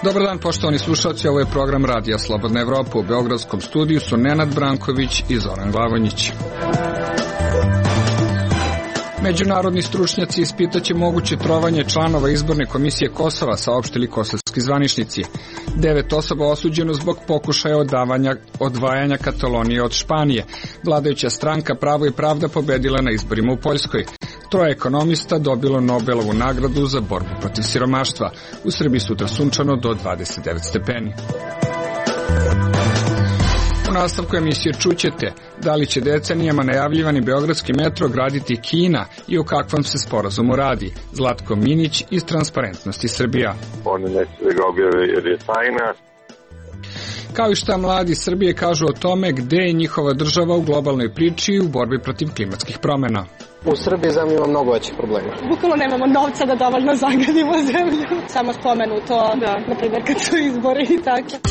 Dobar dan, poštovani slušalci, ovo je program Radija Slobodna Evropa. U beogradskom studiju su Nenad Branković i Zoran Glavonjić. Međunarodni stručnjaci ispitaće moguće trovanje članova izborne komisije Kosova, saopštili kosovski zvaničnici. 9 osoba osuđeno zbog pokušaja odvajanja Katalonije od Španije. Vladajuća stranka Pravo i pravda pobedila na izborima u Poljskoj. 3 ekonomista dobilo Nobelovu nagradu za borbu protiv siromaštva. U Srbiji sutra sunčano do 29 stepeni. U nastavku emisije čućete da li će decenijama najavljivani beogradski metro graditi Kina i o kakvom se sporazumu radi. Zlatko Minić iz Transparentnosti Srbija. Oni neće da ga objave jer je tajna. Kao i šta mladi Srbije kažu o tome gde je njihova država u globalnoj priči u borbi protiv klimatskih promjena. U Srbiji zemlja ima mnogo većih problema. Bukvalno nemamo novca da dovoljno zagadimo zemlju. Samo spomenu to, na primjer kad su izbori i tako.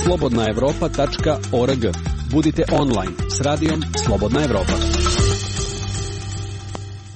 slobodnaevropa.org. Budite online s radijom Slobodna Evropa.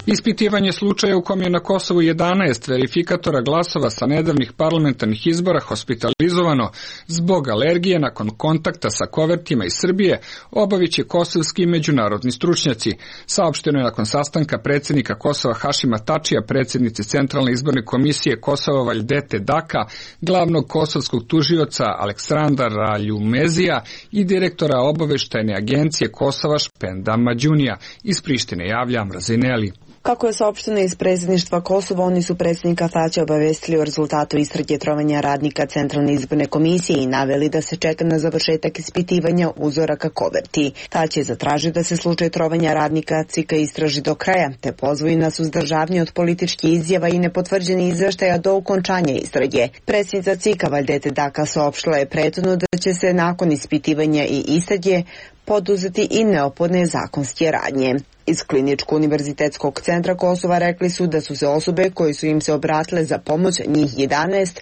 Ispitivanje slučaja u kom je na Kosovu 11 verifikatora glasova sa nedavnih parlamentarnih izbora hospitalizovano zbog alergije nakon kontakta sa kovertima iz Srbije obavit će kosovski i međunarodni stručnjaci. Saopšteno je nakon sastanka predsjednika Kosova Hašima Tačija, predsjednice Centralne izborne komisije Kosova Vajdete Daka, glavnog kosovskog tužioca Aleksandra Ljumezija i direktora obaveštajne agencije Kosova Špenda Mađunija. Iz Prištine javlja Mrazineli. Kako je saopšteno iz predsjedništva Kosova, oni su predsjednika Tačija obavestili o rezultatu istrage trovanja radnika Centralne izborne komisije i naveli da se čeka na završetak ispitivanja uzoraka koverti. Tači je zatražio da se slučaj trovanja radnika CIK istraži do kraja, te pozvao na suzdržavanje od političkih izjava i nepotvrđenih izveštaja do okončanja istrage. Predsjednica CIK Vajdete Daka saopštila je prethodno da će se nakon ispitivanja i istrage poduzeti i neophodne zakonske radnje. Iz Kliničko-univerzitetskog centra Kosova rekli su da su se osobe koje su im se obratile za pomoć, njih 11,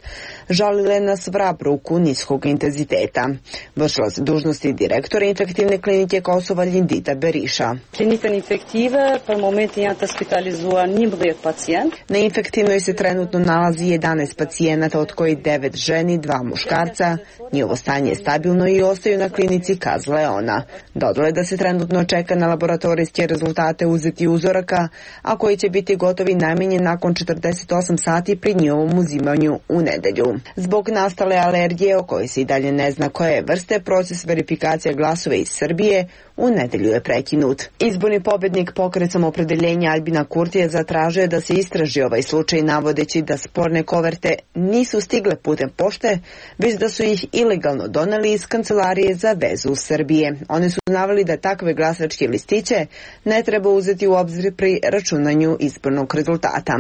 žalile na svrab ruku niskog intenziteta. Vršila se dužnosti direktora infektivne klinike Kosova Ljindita Beriša. Klinika infektive, po momentu je hospitalizovan 11 pacijent. Na infektivnoj se trenutno nalazi 11 pacijenata, od kojih 9 ženi, 2 muškarca. Njihovo stanje je stabilno i ostaju na klinici, kazala ona. Dodala da se trenutno čeka na laboratorijske rezultate uzeti uzoraka, a koji će biti gotovi najmanje nakon 48 sati pri njihovom uzimanju u nedelju. Zbog nastale alergije, o kojoj se i dalje ne zna koje vrste, proces verifikacije glasova iz Srbije u nedelju je prekinut. Izborni pobednik Pokret Samoopredeljenja Aljbina Kurtija zatražio je da se istraži ovaj slučaj, navodeći da sporne koverte nisu stigle putem pošte, već da su ih ilegalno doneli iz Kancelarije za vezu Srbije. Oni su naveli da takve glasačke listiće ne treba uzeti u obzir pri računanju izbornog rezultata.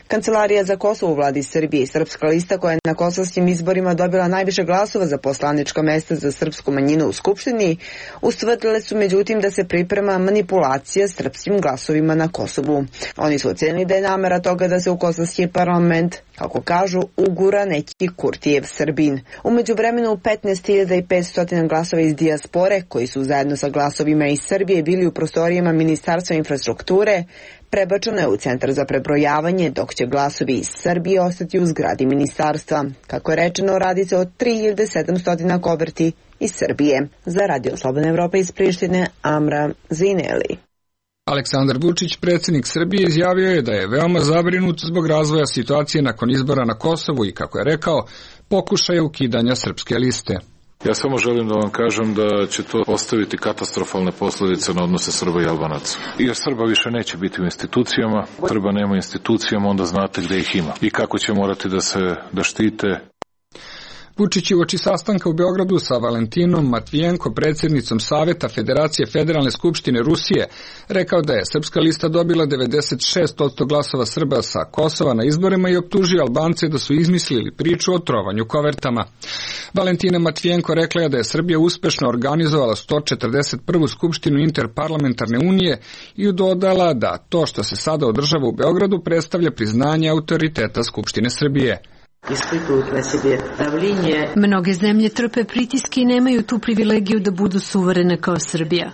Kancelarija za Kosovo u vladi Srbije i Srpska lista, koja je na kosovskim izborima dobila najviše glasova za poslanička mesta za srpsku manjinu u Skupštini, ustvrdile su međutim da se priprema manipulacija srpskim glasovima na Kosovu. Oni su ocenili da je namera toga da se u kosovski parlament, kako kažu, ugura neki Kurtijev Srbin. U međuvremenu 15.500 glasova iz dijaspore, koji su zajedno sa glasovima iz Srbije bili u prostorijama Ministarstva infrastrukture, prebačeno je u centar za prebrojavanje, dok će glasovi iz Srbije ostati u zgradi ministarstva. Kako je rečeno, radi se o 3700 koverti iz Srbije. Za Radio Slobodna Evropa iz Prištine, Amra Zineli. Aleksandar Vučić, predsjednik Srbije, izjavio je da je veoma zabrinut zbog razvoja situacije nakon izbora na Kosovu i, kako je rekao, pokušaja ukidanja srpske liste. Ja samo želim da vam kažem da će to ostaviti katastrofalne posljedice na odnose Srba i Albanaca. Jer Srba više neće biti u institucijama, Srba nema institucijama, onda znate gde ih ima i kako će morati da štite. Vučić je uoči sastanka u Beogradu sa Valentinom Matvijenko, predsjednicom Saveta Federacije Federalne skupštine Rusije, rekao da je srpska lista dobila 96% glasova Srba sa Kosova na izborima i optužio Albance da su izmislili priču o trovanju kovertama. Valentina Matvijenko rekla je da je Srbija uspešno organizovala 141. skupštinu Interparlamentarne unije i dodala da to što se sada održava u Beogradu predstavlja priznanje autoriteta Skupštine Srbije. Mnoge zemlje trpe pritiske i nemaju tu privilegiju da budu suverene kao Srbija.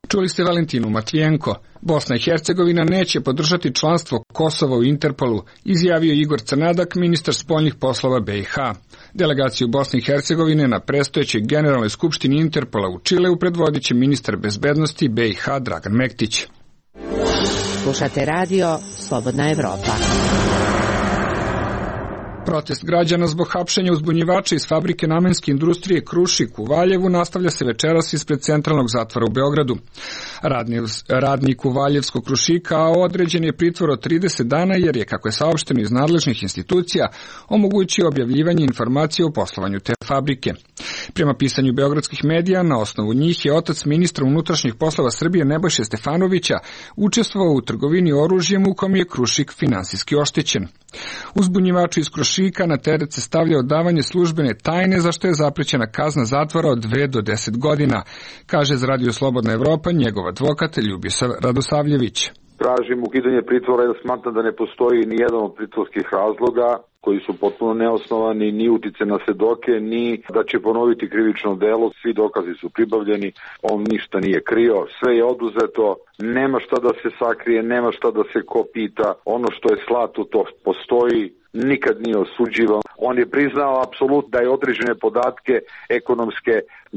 Čuli ste Valentinu Matvijenko. Bosna i Hercegovina neće podržati članstvo Kosova u Interpolu, izjavio Igor Crnadak, ministar spoljnih poslova BiH. Delegaciju Bosne i Hercegovine na predstojećoj generalnoj skupštini Interpola u Čileu predvodit će ministar bezbednosti BiH Dragan Mektić. Slušate radio Slobodna Evropa. Protest građana zbog hapšenja uzbunjivača iz fabrike namenske industrije Krušik u Valjevu nastavlja se večeras ispred centralnog zatvora u Beogradu. Radnik u Valjevskog Krušika određen je pritvor od 30 dana jer je, kako je saopšteno iz nadležnih institucija, omogućio objavljivanje informacija o poslovanju te fabrike. Prema pisanju beogradskih medija, na osnovu njih je otac ministra unutrašnjih poslova Srbije Nebojše Stefanovića učestvovao u trgovini oružjem u kom je Krušik finansijski oštećen. Uzbunjivaču iz Krušika na teret se stavlja odavanje službene tajne, za što je zaprećena kazna zatvora od 2 do 10 godina, kaže za Radio Slobodna Evropa njegov advokat Ljubiša Radosavljević. Tražim ukidanje pritvora jer smatram da ne postoji ni jedan od pritvorskih razloga koji su potpuno neosnovani, ni utice na svedoke, ni da će ponoviti krivično delo. Svi dokazi su pribavljeni, on ništa nije krio, sve je oduzeto, nema šta da se sakrije, nema šta da se ko pita, ono što je slato to postoji, nikad nije osuđivan. On je priznao apsolutno da je određene podatke ekonomske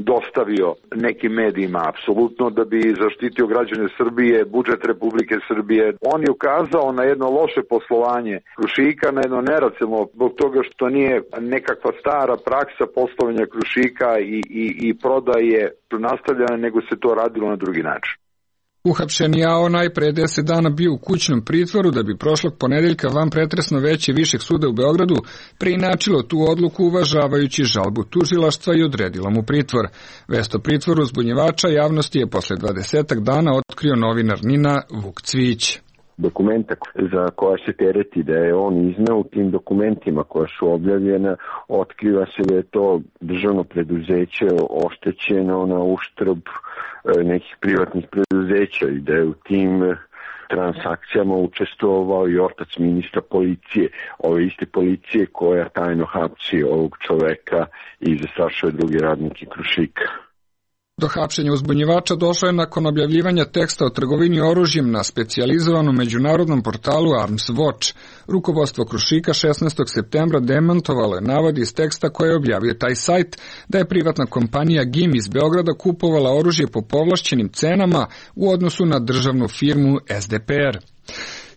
dostavio nekim medijima, apsolutno da bi zaštitio građane Srbije, budžet Republike Srbije. On je ukazao na jedno loše poslovanje Krušika, na jedno neracionalno, zbog toga što nije nekakva stara praksa poslovanja Krušika i prodaje nastavljena, nego se to radilo na drugi način. Uhapšeni AO najpre 10 dana bio u kućnom pritvoru da bi prošlog ponedeljka vanpretresno veće Višeg suda u Beogradu preinačilo tu odluku uvažavajući žalbu tužilaštva i odredilo mu pritvor. Vest o pritvoru uzbunjivača javnosti je posle 20 dana otkrio novinar NIN-a Vuk Cvijić. Dokumenta za koja se tereti da je on izneo, u tim dokumentima koja su objavljena otkriva se da je to državno preduzeće oštećeno na uštrb nekih privatnih preduzeća i da je u tim transakcijama učestvovao i otac ministra policije, ove iste policije koja tajno hapsi ovog čoveka i zastrašuje drugi radnike Krušika. Do hapšenja uzbunjivača došlo je nakon objavljivanja teksta o trgovini oružjem na specijalizovanom međunarodnom portalu Arms Watch. Rukovodstvo Krušika 16. septembra demantovalo je navod iz teksta koje je objavio taj sajt da je privatna kompanija GIM iz Beograda kupovala oružje po povlašćenim cenama u odnosu na državnu firmu SDPR.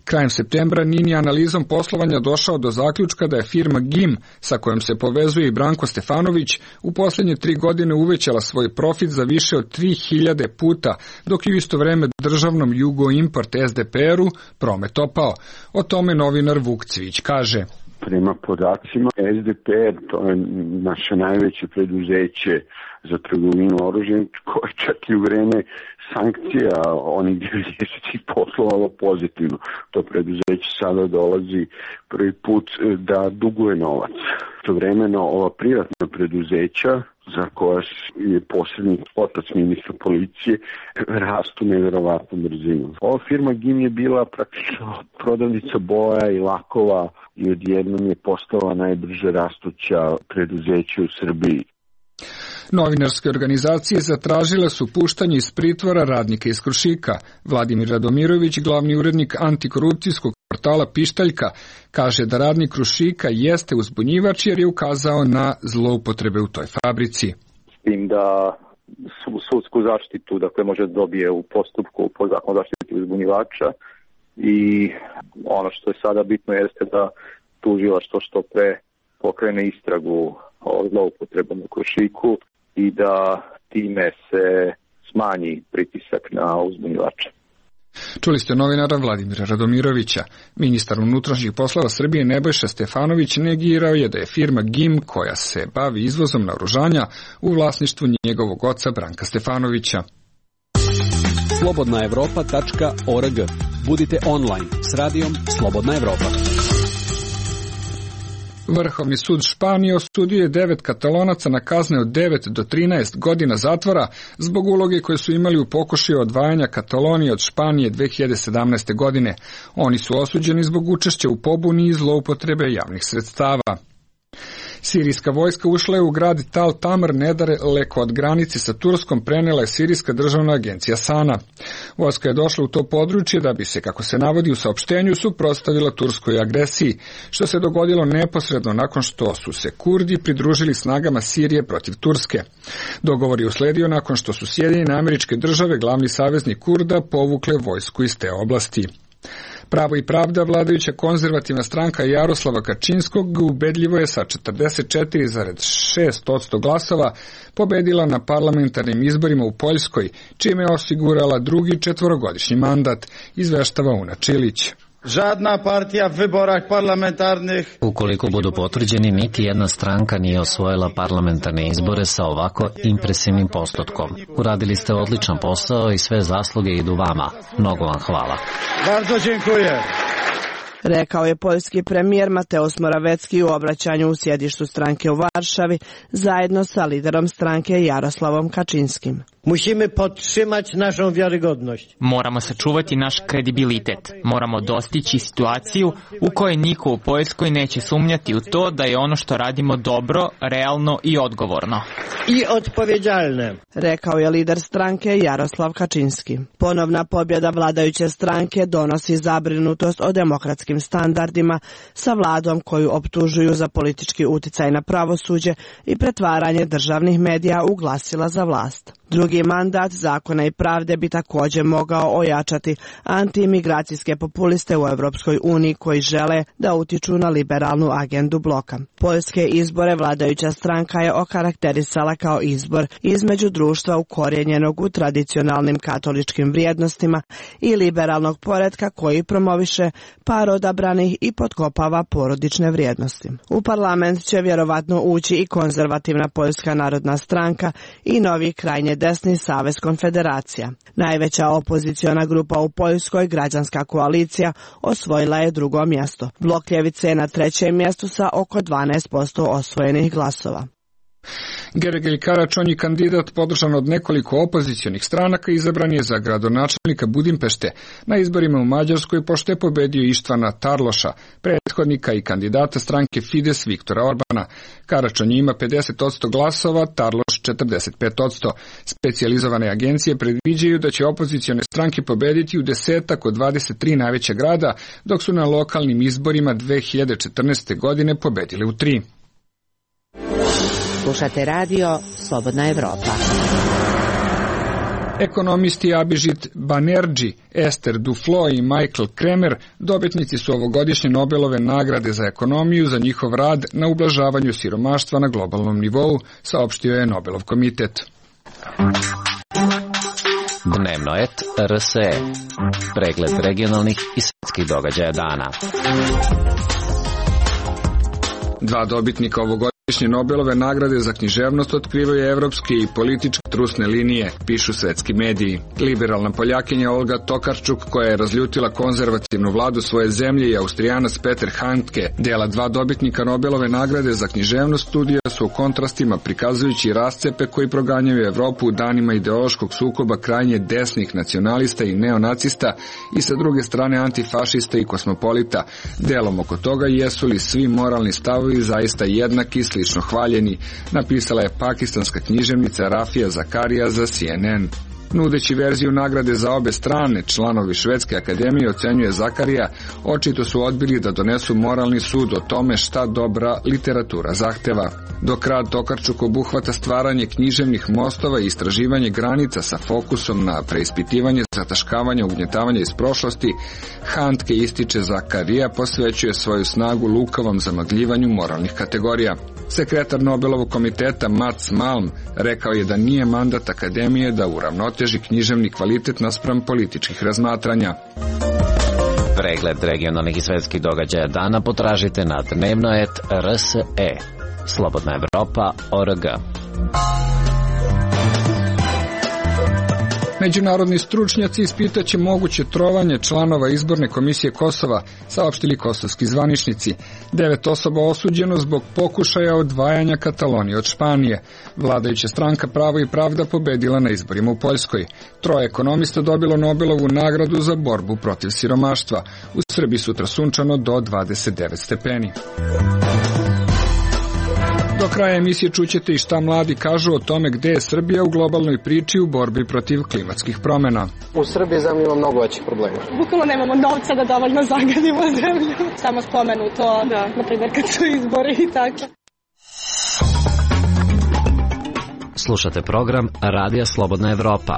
Krajem septembra NIN je analizom poslovanja došao do zaključka da je firma GIM, sa kojom se povezuje i Branko Stefanović, u posljednje 3 godine uvećala svoj profit za više od 3000 puta, dok je u isto vreme državnom Jugo Import SDPR-u promet opao. O tome novinar Vuk Cvijić kaže. Prema podacima SDPR, to je naše najveće preduzeće za trgovinu oružjem, koje čak i u vreme sankcija onih 90-ih poslovalo pozitivno. To preduzeće sada dolazi prvi put da duguje novac. Istovremeno ova privatna preduzeća za koja je posrednik otac ministra policije rastu nevjerovatnom brzinom. Ova firma GIM je bila praktično prodavnica boja i lakova i odjednom je postala najbrže rastuća preduzeća u Srbiji. Novinarske organizacije zatražile su puštanje iz pritvora radnika iz Krušika. Vladimir Radomirović, glavni urednik antikorupcijskog portala Pištaljka, kaže da radnik Krušika jeste uzbunjivač jer je ukazao na zloupotrebe u toj fabrici. S tim da sudsku zaštitu može dobije u postupku po zakonu zaštiti uzbunjivača i ono što je sada bitno jeste da tužilaštvo što pre pokrene istragu o zloupotrebama u Krušiku i da time se smanji pritisak na uzbunjivača. Čuli ste novinara Vladimira Radomirovića. Ministar unutrašnjih poslova Srbije Nebojša Stefanović negirao je da je firma GIM, koja se bavi izvozom naoružanja, u vlasništvu njegovog oca Branka Stefanovića. slobodnaevropa.org. Budite online s radijom Slobodna Evropa. Vrhovni sud Španije osudio je 9 Katalonaca na kazne od 9 do 13 godina zatvora zbog uloge koje su imali u pokušaju odvajanja Katalonije od Španije 2017. godine. Oni su osuđeni zbog učešća u pobuni i zloupotrebe javnih sredstava. Sirijska vojska ušla je u grad Tal Tamr nedaleko od granice sa Turskom, prenela je Sirijska državna agencija SANA. Vojska je došla u to područje da bi se, kako se navodi u saopštenju, suprotstavila turskoj agresiji, što se dogodilo neposredno nakon što su se Kurdi pridružili snagama Sirije protiv Turske. Dogovor je usledio nakon što su Sjedinjene Američke Države, glavni saveznik Kurda, povukle vojsku iz te oblasti. Pravo i pravda, vladajuća konzervativna stranka Jaroslava Kačinskog, ubedljivo je sa 44,6% glasova pobedila na parlamentarnim izborima u Poljskoj, čime je osigurala drugi četvorogodišnji mandat, izveštava Una Čilić. Žadna partija v wyborach parlamentarnih. Ukoliko budu potvrđeni, niti jedna stranka nije osvojila parlamentarne izbore sa ovako impresivnim postotkom. Uradili ste odličan posao i sve zasluge idu vama. Mnogo vam hvala. Bardzo dziękuję. Rekao je poljski premijer Mateusz Morawiecki u obraćanju u sjedištu stranke u Varšavi zajedno sa liderom stranke Jaroslavom Kačinskim. Musimy podtrzymać naszą wiarygodność. Moramo sačuvati naš kredibilitet. Moramo dostići situaciju u kojoj niko u Poljskoj neće sumnjati u to da je ono što radimo dobro, realno i odgovorno. I odpowiedzialne. Rekao je lider stranke Jaroslav Kačinski. Ponovna pobjeda vladajuće stranke donosi zabrinutost o demokratskim standardima sa vladom koju optužuju za politički uticaj na pravosuđe i pretvaranje državnih medija u glasila za vlast. Drugi mandat Zakona i pravde bi također mogao ojačati antiimigracijske populiste u Europskoj uniji koji žele da utiču na liberalnu agendu bloka. Poljske izbore vladajuća stranka je okarakterisala kao izbor između društva ukorijenjenog u tradicionalnim katoličkim vrijednostima i liberalnog poretka koji promoviše par odabranih i potkopava porodične vrijednosti. U parlament će vjerovatno ući i konzervativna Poljska narodna stranka i novi krajnje desni Savez konfederacija. Najveća opoziciona grupa u Poljskoj, Građanska koalicija, osvojila je drugo mjesto. Blok ljevice je na trećem mjestu sa oko 12% osvojenih glasova. Gergely Karačonji, kandidat podržan od nekoliko opozicionih stranaka, izabran je za gradonačelnika Budimpešte na izborima u Mađarskoj pošto je pobedio Ištvana Tarloša, prethodnika i kandidata stranke Fides Viktora Orbana. Karačonji ima 50% glasova, Tarloš 45%. Specijalizovane agencije predviđaju da će opozicione stranke pobediti u 10 od 23 najveća grada, dok su na lokalnim izborima 2014. godine pobedili u 3. Slušate radio Slobodna Evropa. Ekonomisti Abhijit Banerjee, Esther Duflo i Michael Kremer dobitnici su ovogodišnje Nobelove nagrade za ekonomiju za njihov rad na ublažavanju siromaštva na globalnom nivou, saopštio je Nobelov komitet. Dnevnoet RSE. Pregled regionalnih i svetskih događaja dana. Dva dobitnika ovogodišnje Nobelove nagrade za književnost otkrivaju evropske i političke trusne linije, pišu svetski mediji. Liberalna Poljakinja Olga Tokarczuk, koja je razljutila konzervativnu vladu svoje zemlje, i Austrijanac Peter Handke, dela dva dobitnika Nobelove nagrade za književnost, studija su u kontrastima prikazujući rascepe koji proganjaju Evropu u danima ideološkog sukoba krajnje desnih nacionalista i neonacista i sa druge strane antifašista i kosmopolita. Delom oko toga jesu li svi moralni stavovi zaista jednaki, slično hvaljeni, napisala je pakistanska književnica Rafija Zakarija za CNN. Nudeći verziju nagrade za obe strane, članovi Švedske akademije, ocenjuje Zakarija, očito su odbili da donesu moralni sud o tome šta dobra literatura zahteva. Dok rad Tokarczuk obuhvata stvaranje književnih mostova i istraživanje granica sa fokusom na preispitivanje zataškavanja ugnjetavanja iz prošlosti, Handke, ističe Zakarija, posvećuje svoju snagu lukavom zamagljivanju moralnih kategorija. Sekretar Nobelovog komiteta Mats Malm rekao je da nije mandat akademije da uravnoteži književni kvalitet naspram političkih razmatranja. Pregled regionalnih i svetskih događaja dana potražite na Dnevnoet RSE. Slobodna Evropa.org. Međunarodni stručnjaci ispitaće moguće trovanje članova izborne komisije Kosova, saopštili kosovski zvaničnici. 9 osoba osuđeno zbog pokušaja odvajanja Katalonije od Španije. Vladajuća stranka Pravo i pravda pobedila na izborima u Poljskoj. 3 ekonomista dobilo Nobelovu nagradu za borbu protiv siromaštva. U Srbiji sutra sunčano do 29 stepeni. Do kraja emisije čućete i šta mladi kažu o tome gde je Srbija u globalnoj priči u borbi protiv klimatskih promjena. U Srbiji zemlja ima mnogo većih problema. Bukvalno nemamo novca da dovoljno zagadimo zemlju. Samo spomenuto, na primjer kad su izbori i tako. Slušate program Radija Slobodna Evropa.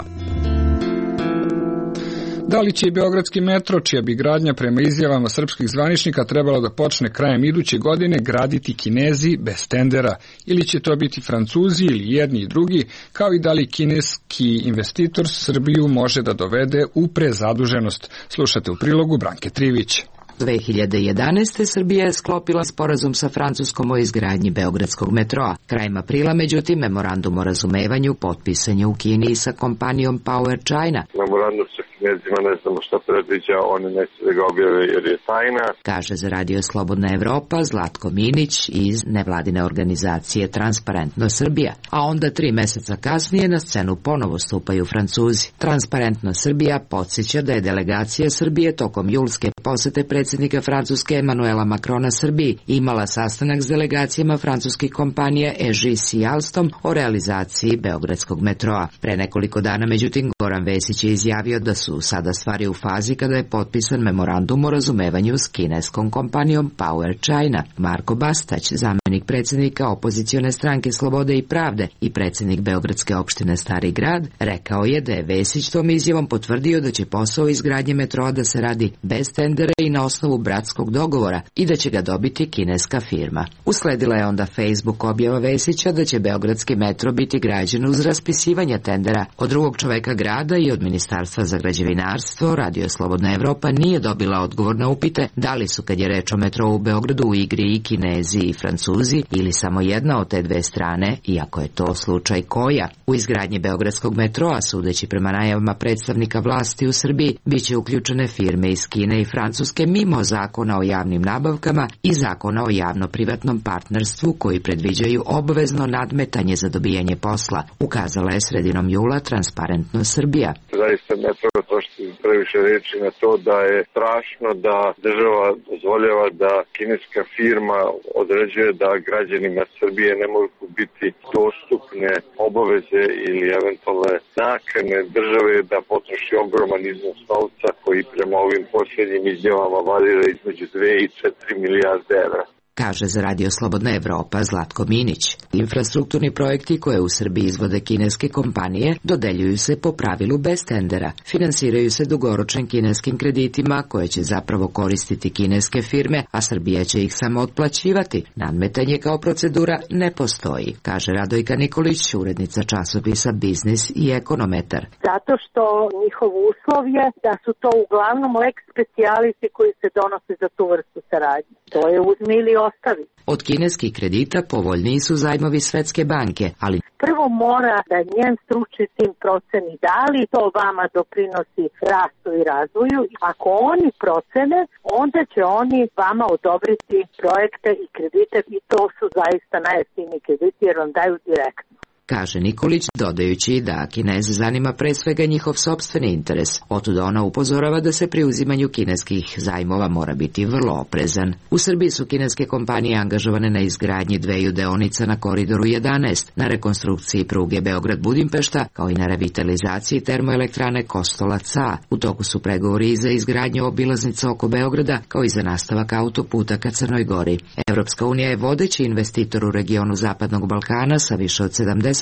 Da li će i beogradski metro, čija bi gradnja prema izjavama srpskih zvaničnika trebala da počne krajem iduće godine, graditi Kinezi bez tendera? Ili će to biti Francuzi ili jedni i drugi, kao i da li kineski investitor Srbiju može da dovede u prezaduženost? Slušate u prilogu Branke Trivić. 2011. Srbija je sklopila sporazum sa Francuskom o izgradnji beogradskog metroa. Krajem aprila, međutim, memorandum o razumevanju potpisan je u Kini sa kompanijom Power China. Memorandum sa Kinezima ne znamo šta predviđa, oni neće da ga objave jer je tajna. Kaže za Radio Slobodna Evropa Zlatko Minić iz nevladine organizacije Transparentno Srbija. A onda 3 meseca kasnije na scenu ponovo stupaju Francuzi. Transparentno Srbija podsjeća da je delegacija Srbije tokom julske posete predsjednika Francuske Emanuela Macrona Srbiji imala sastanak s delegacijama francuskih kompanija EGIS i Alstom o realizaciji beogradskog metroa. Pre nekoliko dana, međutim, Goran Vesić je izjavio da su sada stvari u fazi kada je potpisan memorandum o razumevanju s kineskom kompanijom Power China. Marko Bastać, zamenik predsjednika opozicione stranke Slobode i pravde i predsjednik beogradske opštine Stari grad, rekao je da je Vesić tom izjavom potvrdio da će posao izgradnje metroa da se radi bez tendera i na osnovu bratskog dogovora i da će ga dobiti kineska firma. Usledila je onda Facebook objava Vesića da će beogradski metro biti građen uz raspisivanje tendera. Od drugog čoveka grada i od Ministarstva za građevinarstvo Radio Slobodna Evropa nije dobila odgovor na upite da li su, kad je reč o metrou u Beogradu, u igri i Kinezi i Francuzi ili samo jedna od te dve strane, iako je to slučaj koja. U izgradnji beogradskog metroa, sudeći prema najavama predstavnika vlasti u Srbiji, biće uključene firme iz Kine i Francuske mimo zakona o javnim nabavkama i zakona o javno-privatnom partnerstvu koji predviđaju obavezno nadmetanje za dobijanje posla, ukazala je sredinom jula Transparentno Srbija. Zaista ne treba trošiti previše reči na to da je strašno da država dozvoljava da kineska firma određuje da građanima Srbije ne mogu biti dostupne obaveze ili eventualne nakane države da potroši ogroman iznos novca koji prema ovim posljednjim izjavama varira između 2 i 4 milijarde evra. Kaže za Radio Slobodna Evropa Zlatko Minić. Infrastrukturni projekti koje u Srbiji izvode kineske kompanije dodeljuju se po pravilu bez tendera. Finansiraju se dugoročnim kineskim kreditima koje će zapravo koristiti kineske firme, a Srbija će ih samo otplaćivati. Nadmetanje kao procedura ne postoji, kaže Radojka Nikolić, urednica časopisa Biznis i Ekonometar. Zato što njihov uslov je da su to uglavnom lex specialisi koji se donose za tu vrstu saradnje. To je uzmi ili ostavi. Od kineskih kredita povoljniji su zajmovi Svetske banke, ali prvo mora da njen stručni tim proceni da li to vama doprinosi rastu i razvoju. Ako oni procene, onda će oni vama odobriti projekte i kredite i to su zaista najjeftiniji krediti jer vam daju direktno. Kaže Nikolić, dodajući da Kineze zanima pre svega njihov sopstveni interes. Otuda ona upozorava da se pri uzimanju kineskih zajmova mora biti vrlo oprezan. U Srbiji su kineske kompanije angažovane na izgradnji 2 deonica na Koridoru 11, na rekonstrukciji pruge Beograd-Budimpešta, kao i na revitalizaciji termoelektrane Kostolac-A. U toku su pregovori i za izgradnju obilaznica oko Beograda, kao i za nastavak autoputa ka Crnoj Gori. Evropska unija je vodeći investitor u regionu Zapadnog Balkana sa više od 70%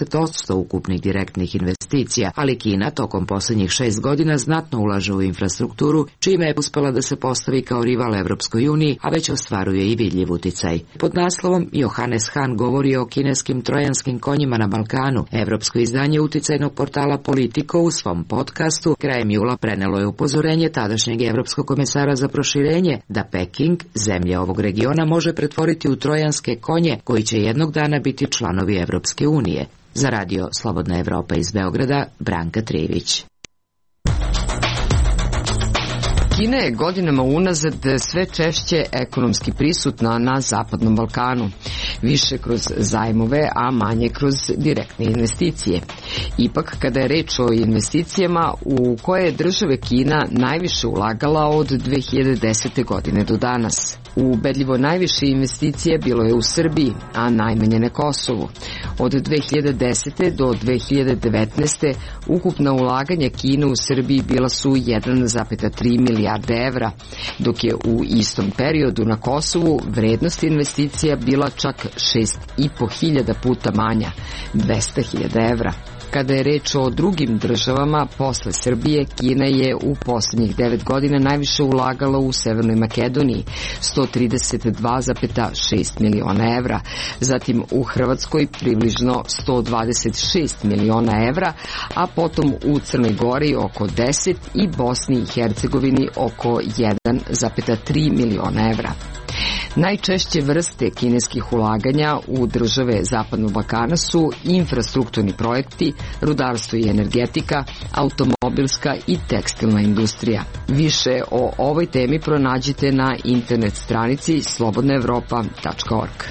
ukupnih direktnih investicija, ali Kina tokom posljednjih 6 godina znatno ulaže u infrastrukturu, čime je uspela da se postavi kao rival Evropskoj uniji, a već ostvaruje i vidljiv uticaj. Pod naslovom Johannes Hahn govori o kineskim trojanskim konjima na Balkanu. Evropsko izdanje uticajnog portala Politico u svom podcastu krajem jula prenelo je upozorenje tadašnjeg evropskog komesara za proširenje da Peking, zemlje ovog regiona, može pretvoriti u trojanske konje koji će jednog dana biti članovi Evropske unije. Za Radio Slobodna Evropa iz Beograda, Branka Trivić. Kina je godinama unazad sve češće ekonomski prisutna na Zapadnom Balkanu, više kroz zajmove, a manje kroz direktne investicije. Ipak, kada je reč o investicijama u koje je države Kina najviše ulagala od 2010. godine do danas. Ubedljivo najviše investicije bilo je u Srbiji, a najmanje na Kosovu. Od 2010. do 2019. ukupna ulaganja Kine u Srbiji bila su 1,3 milijarde evra, dok je u istom periodu na Kosovu vrednost investicija bila čak 6.500 puta manja, 200.000 evra. Kada je reč o drugim državama, posle Srbije, Kina je u poslednjih 9 godina najviše ulagala u Severnoj Makedoniji, 132,6 miliona evra, zatim u Hrvatskoj približno 126 miliona evra, a potom u Crnoj Gori oko 10 i Bosni i Hercegovini oko 1,3 miliona evra. Najčešće vrste kineskih ulaganja u države Zapadnog Balkana su infrastrukturni projekti, rudarstvo i energetika, automobilska i tekstilna industrija. Više o ovoj temi pronađite na internet stranici slobodnaevropa.org.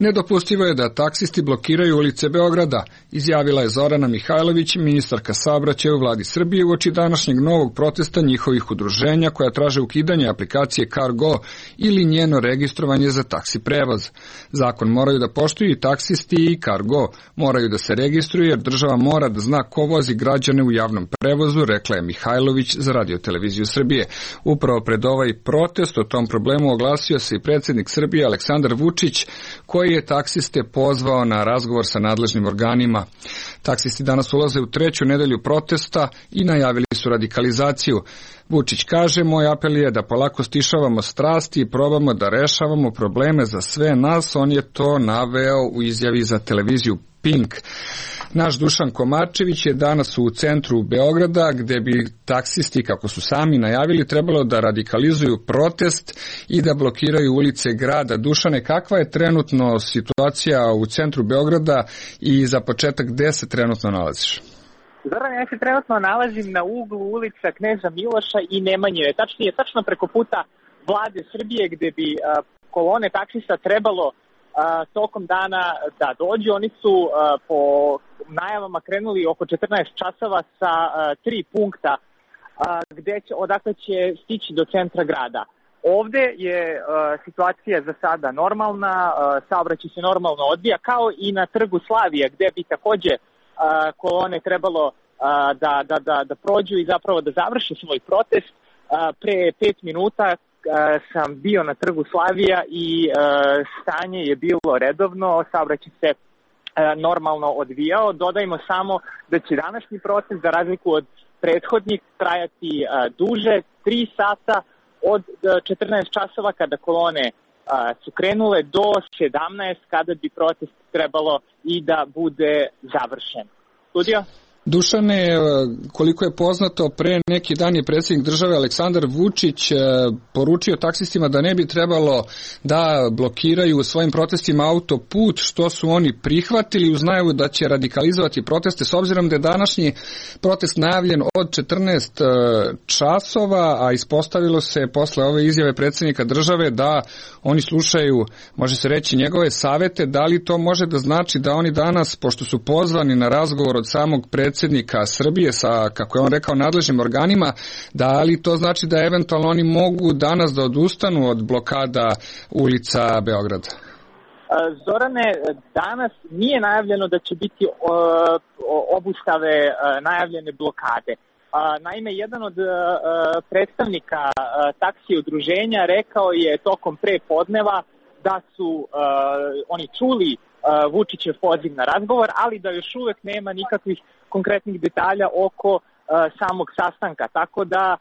Nedopustivo je da taksisti blokiraju ulice Beograda, izjavila je Zorana Mihajlović, ministarka saobraćaja u vladi Srbije uoči današnjeg novog protesta njihovih udruženja koja traže ukidanje aplikacije Cargo ili njeno registrovanje za taksi prevoz. Zakon moraju da poštuju i taksisti i Cargo, moraju da se registruju jer država mora da zna ko vozi građane u javnom prevozu, rekla je Mihajlović za Radio-televiziju Srbije. Upravo pred ovaj protest o tom problemu oglasio se i predsjednik Srbije Aleksandar Vučić, koji je taksiste pozvao na razgovor sa nadležnim organima. Taksisti danas ulaze u 3. nedelju protesta i najavili su radikalizaciju. Vučić kaže, moj apel je da polako stišavamo strasti i probamo da rešavamo probleme za sve nas. On je to naveo u izjavi za televiziju Pink. Naš Dušan Komarčević je danas u centru Beograda, gde bi taksisti, kako su sami najavili, trebalo da radikalizuju protest i da blokiraju ulice grada. Dušane, kakva je trenutno situacija u centru Beograda i za početak gde se trenutno nalaziš? Zoran, ja se trenutno nalazim na uglu ulica Kneza Miloša i Nemanjeve. Tačnije, tačno preko puta vlade Srbije, gde bi kolone taksista trebalo tokom dana da dođu. Oni su po najavama krenuli oko 14 časova sa 3 punkta odakle će stići do centra grada. Ovde je situacija za sada normalna, saobraćaj se normalno odvija, kao i na trgu Slavija, gde bi takođe kolone trebalo da prođu i zapravo da završe svoj protest. Pre 5 minuta sam bio na trgu Slavija i stanje je bilo redovno, saobraćaj se normalno odvijao. Dodajmo samo da će današnji protest, za razliku od prethodnih, trajati duže, 3 sata od 14 časova kada kolone su krenule do 17 kada bi protest trebalo i da bude završen. Studio? Dušane, koliko je poznato, pre neki dan je predsjednik države Aleksandar Vučić poručio taksistima da ne bi trebalo da blokiraju u svojim protestima autoput, što su oni prihvatili uz najavu da će radikalizovati proteste, s obzirom da je današnji protest najavljen od 14 časova, a ispostavilo se posle ove izjave predsjednika države da oni slušaju, može se reći, njegove savete. Da li to može da znači da oni danas, pošto su pozvani na razgovor od samog predsjednika Srbije sa, kako je on rekao, nadležnim organima, da li to znači da eventualno oni mogu danas da odustanu od blokada ulica Beograda? Zorane, danas nije najavljeno da će biti obustave najavljene blokade. Naime, jedan od predstavnika taksi udruženja rekao je tokom prepodneva da su oni čuli Vučićev poziv na razgovor, ali da još uvek nema nikakvih konkretnih detalja oko samog sastanka, tako da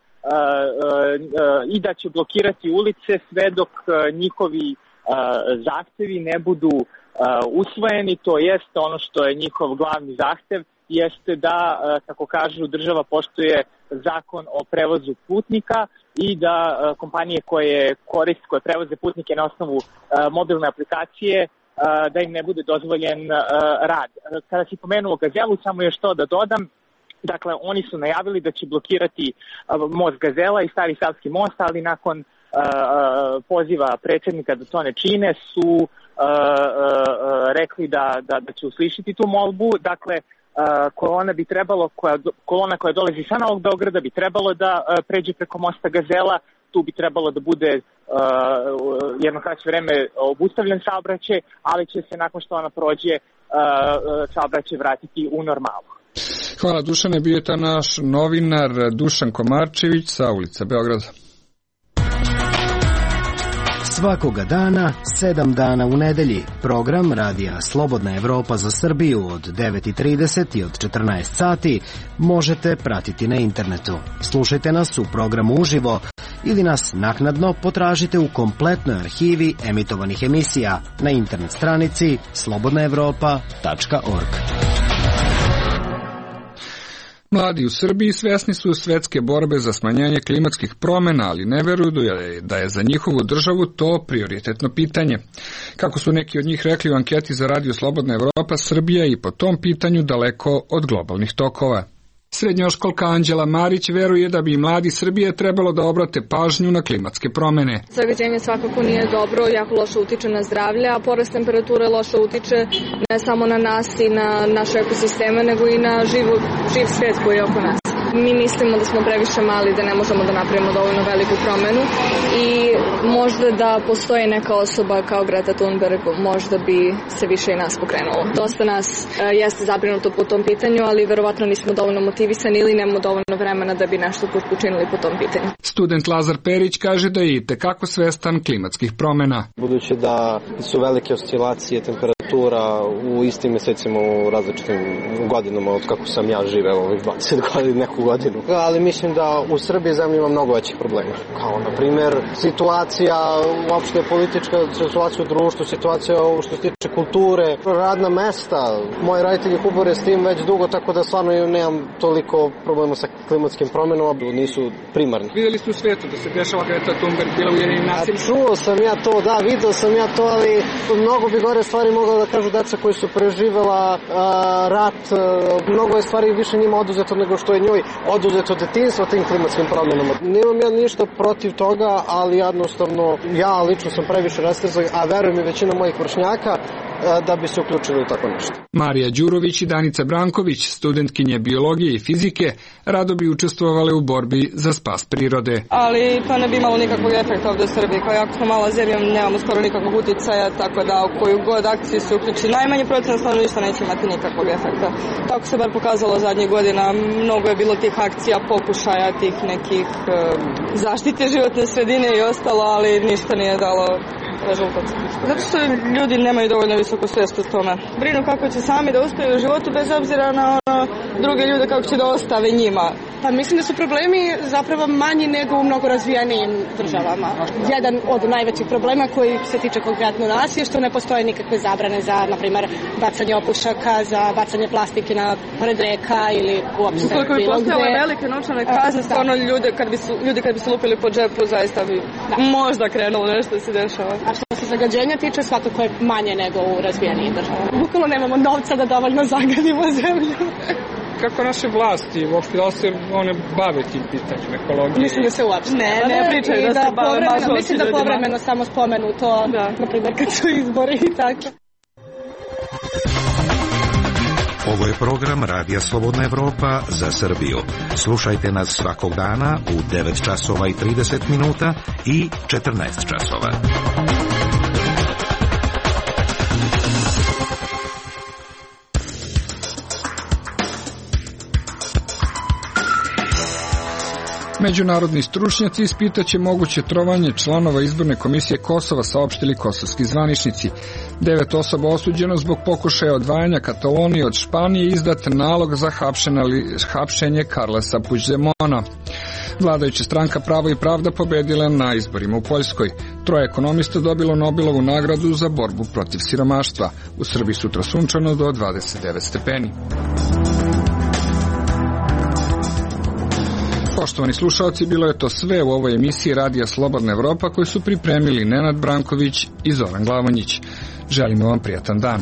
i da će blokirati ulice sve dok njihovi zahtevi ne budu usvojeni, to jest ono što je njihov glavni zahtev, jeste da, kako kažu, država poštuje zakon o prevozu putnika i da kompanije koje prevoze putnike na osnovu mobilne aplikacije, da im ne bude dozvoljen rad. Kada si pomenuo Gazelu, samo još to da dodam, Dakle, oni su najavili da će blokirati most Gazela i Stari Savski most, ali nakon poziva predsjednika da to ne čine su rekli da će uslišiti tu molbu. Dakle, kolona koja dolazi sa Novog Beograda bi trebalo da pređe preko mosta Gazela. Tu bi trebalo da bude jedno kraće vreme obustavljen saobraćaj, ali će se nakon što ona prođe saobraćaj vratiti u normalu. Hvala Dušane, bio je to naš novinar Dušan Komarčević sa ulice Beograda. Svakoga dana, 7 dana u nedelji, program Radija Slobodna Evropa za Srbiju od 9:30 i od 14 sati možete pratiti na internetu. Slušajte nas u programu uživo ili nas naknadno potražite u kompletnoj arhivi emitovanih emisija na internet stranici slobodnaevropa.org. Mladi u Srbiji svesni su svetske borbe za smanjenje klimatskih promjena, ali ne veruju da je za njihovu državu to prioritetno pitanje. Kako su neki od njih rekli u anketi za Radio Slobodna Evropa, Srbija je i po tom pitanju daleko od globalnih tokova. Srednjoškolka Anđela Marić veruje da bi mladi Srbije trebalo da obrate pažnju na klimatske promjene. Zagađenje svakako nije dobro, jako loše utiče na zdravlje, a porast temperature loše utiče ne samo na nas i na naše ekosisteme, nego i na živ svijet koji je oko nas. Mi mislimo da smo previše mali, da ne možemo da napravimo dovoljno veliku promjenu i možda da postoji neka osoba kao Greta Thunberg, možda bi se više i nas pokrenulo. Dosta nas jeste zabrinuto po tom pitanju, ali verovatno nismo dovoljno motivisani ili nemamo dovoljno vremena da bi nešto učinili po tom pitanju. Student Lazar Perić kaže da je i tekako svestan klimatskih promjena. Budući da su velike oscilacije temperatura u istim mjesecima u različitim godinama od kako sam ja živeo ovih 20 godina, neku godinu. Ali mislim da u Srbiji zemlji ima mnogo većih problema. Kao, na primjer, situacija uopšte politička, situacija u društvu, situacija što se tiče kulture, radna mesta. Moji roditelji kubore s tim već dugo, tako da stvarno nemam toliko problema sa klimatskim promjenama, nisu primarni. Vidjeli ste u svijetu da se dešava Greta Thunberg bila u Ujedinjenim nacijama? Čuo sam ja to, da, video sam ja to, ali mnogo bi gore stvari mogla da kažu deca koji su preživela rat, mnogo je stvari više njima oduzeto nego što je njoj oduzeto detinjstvo tim klimatskim promjenama. Nemam ja ništa protiv toga, ali jednostavno ja lično sam previše rastezan, a verujem i većina mojih vršnjaka da bi se uključili u tako nešto. Marija Đurović i Danica Branković, studentkinje biologije i fizike, rado bi učestvovale u borbi za spas prirode. Ali to ne bi imalo nikakvog efekta ovdje u Srbiji, kao jako smo mala zemlja, nemamo skoro nikakvog uticaja, tako da u koju god akciju se uključi najmanje procenat stanovništva neće imati nikakvog efekta. Tako se bar pokazalo zadnjih godina, mnogo je bilo tih akcija, pokušaja, tih nekih zaštite životne sredine i ostalo, ali ništa nije dalo rezultat. Zato što ljudi nemaju dovoljno visoku svijest o tome. Brinu kako će sami da uspiju u životu bez obzira na druge ljude kako će da ostave njima. Pa mislim da su problemi zapravo manji nego u mnogo razvijanijim državama. Jedan od najvećih problema koji se tiče konkretno nas je što ne postoje nikakve zabrane za, na primjer, bacanje opušaka, za bacanje plastike na pored reka ili uopšte bilo gde. Ukoliko bi postojale velike novčane kazne, stvarno ljudi kad bi se lupili po džepu, zaista bi možda krenulo nešto da se dešava. A što se zagađenja tiče, svakako je manje nego u razvijanijim državama. Bukvalno nemamo novca da dovoljno zagadimo zemlju. Kako naše vlasti, uopšte da se one bave tim pitanjem ekologije? Mislim da se uopšte ne pričaju da se bave baš uopšte. Mislim da povremeno samo spomenu to, na primjer kad su izbori i tako. Ovo je program Radija Slobodna Evropa za Srbiju. Slušajte nas svakog dana u 9 časova i 30 minuta i 14 časova. Međunarodni stručnjaci ispitaće moguće trovanje članova izborne komisije Kosova, saopštili kosovski zvaničnici. 9 osoba osuđeno zbog pokušaja odvajanja Katalonije od Španije, izdat nalog za hapšenje Carlesa Puigdemona. Vladajuća stranka Pravo i pravda pobedila na izborima u Poljskoj. 3 ekonomista dobilo Nobelovu nagradu za borbu protiv siromaštva. U Srbiji sutra sunčano do 29 stepeni. Poštovani slušalci, bilo je to sve u ovoj emisiji Radija Slobodna Evropa koju su pripremili Nenad Branković i Zoran Glavonjić. Želimo vam prijatan dan.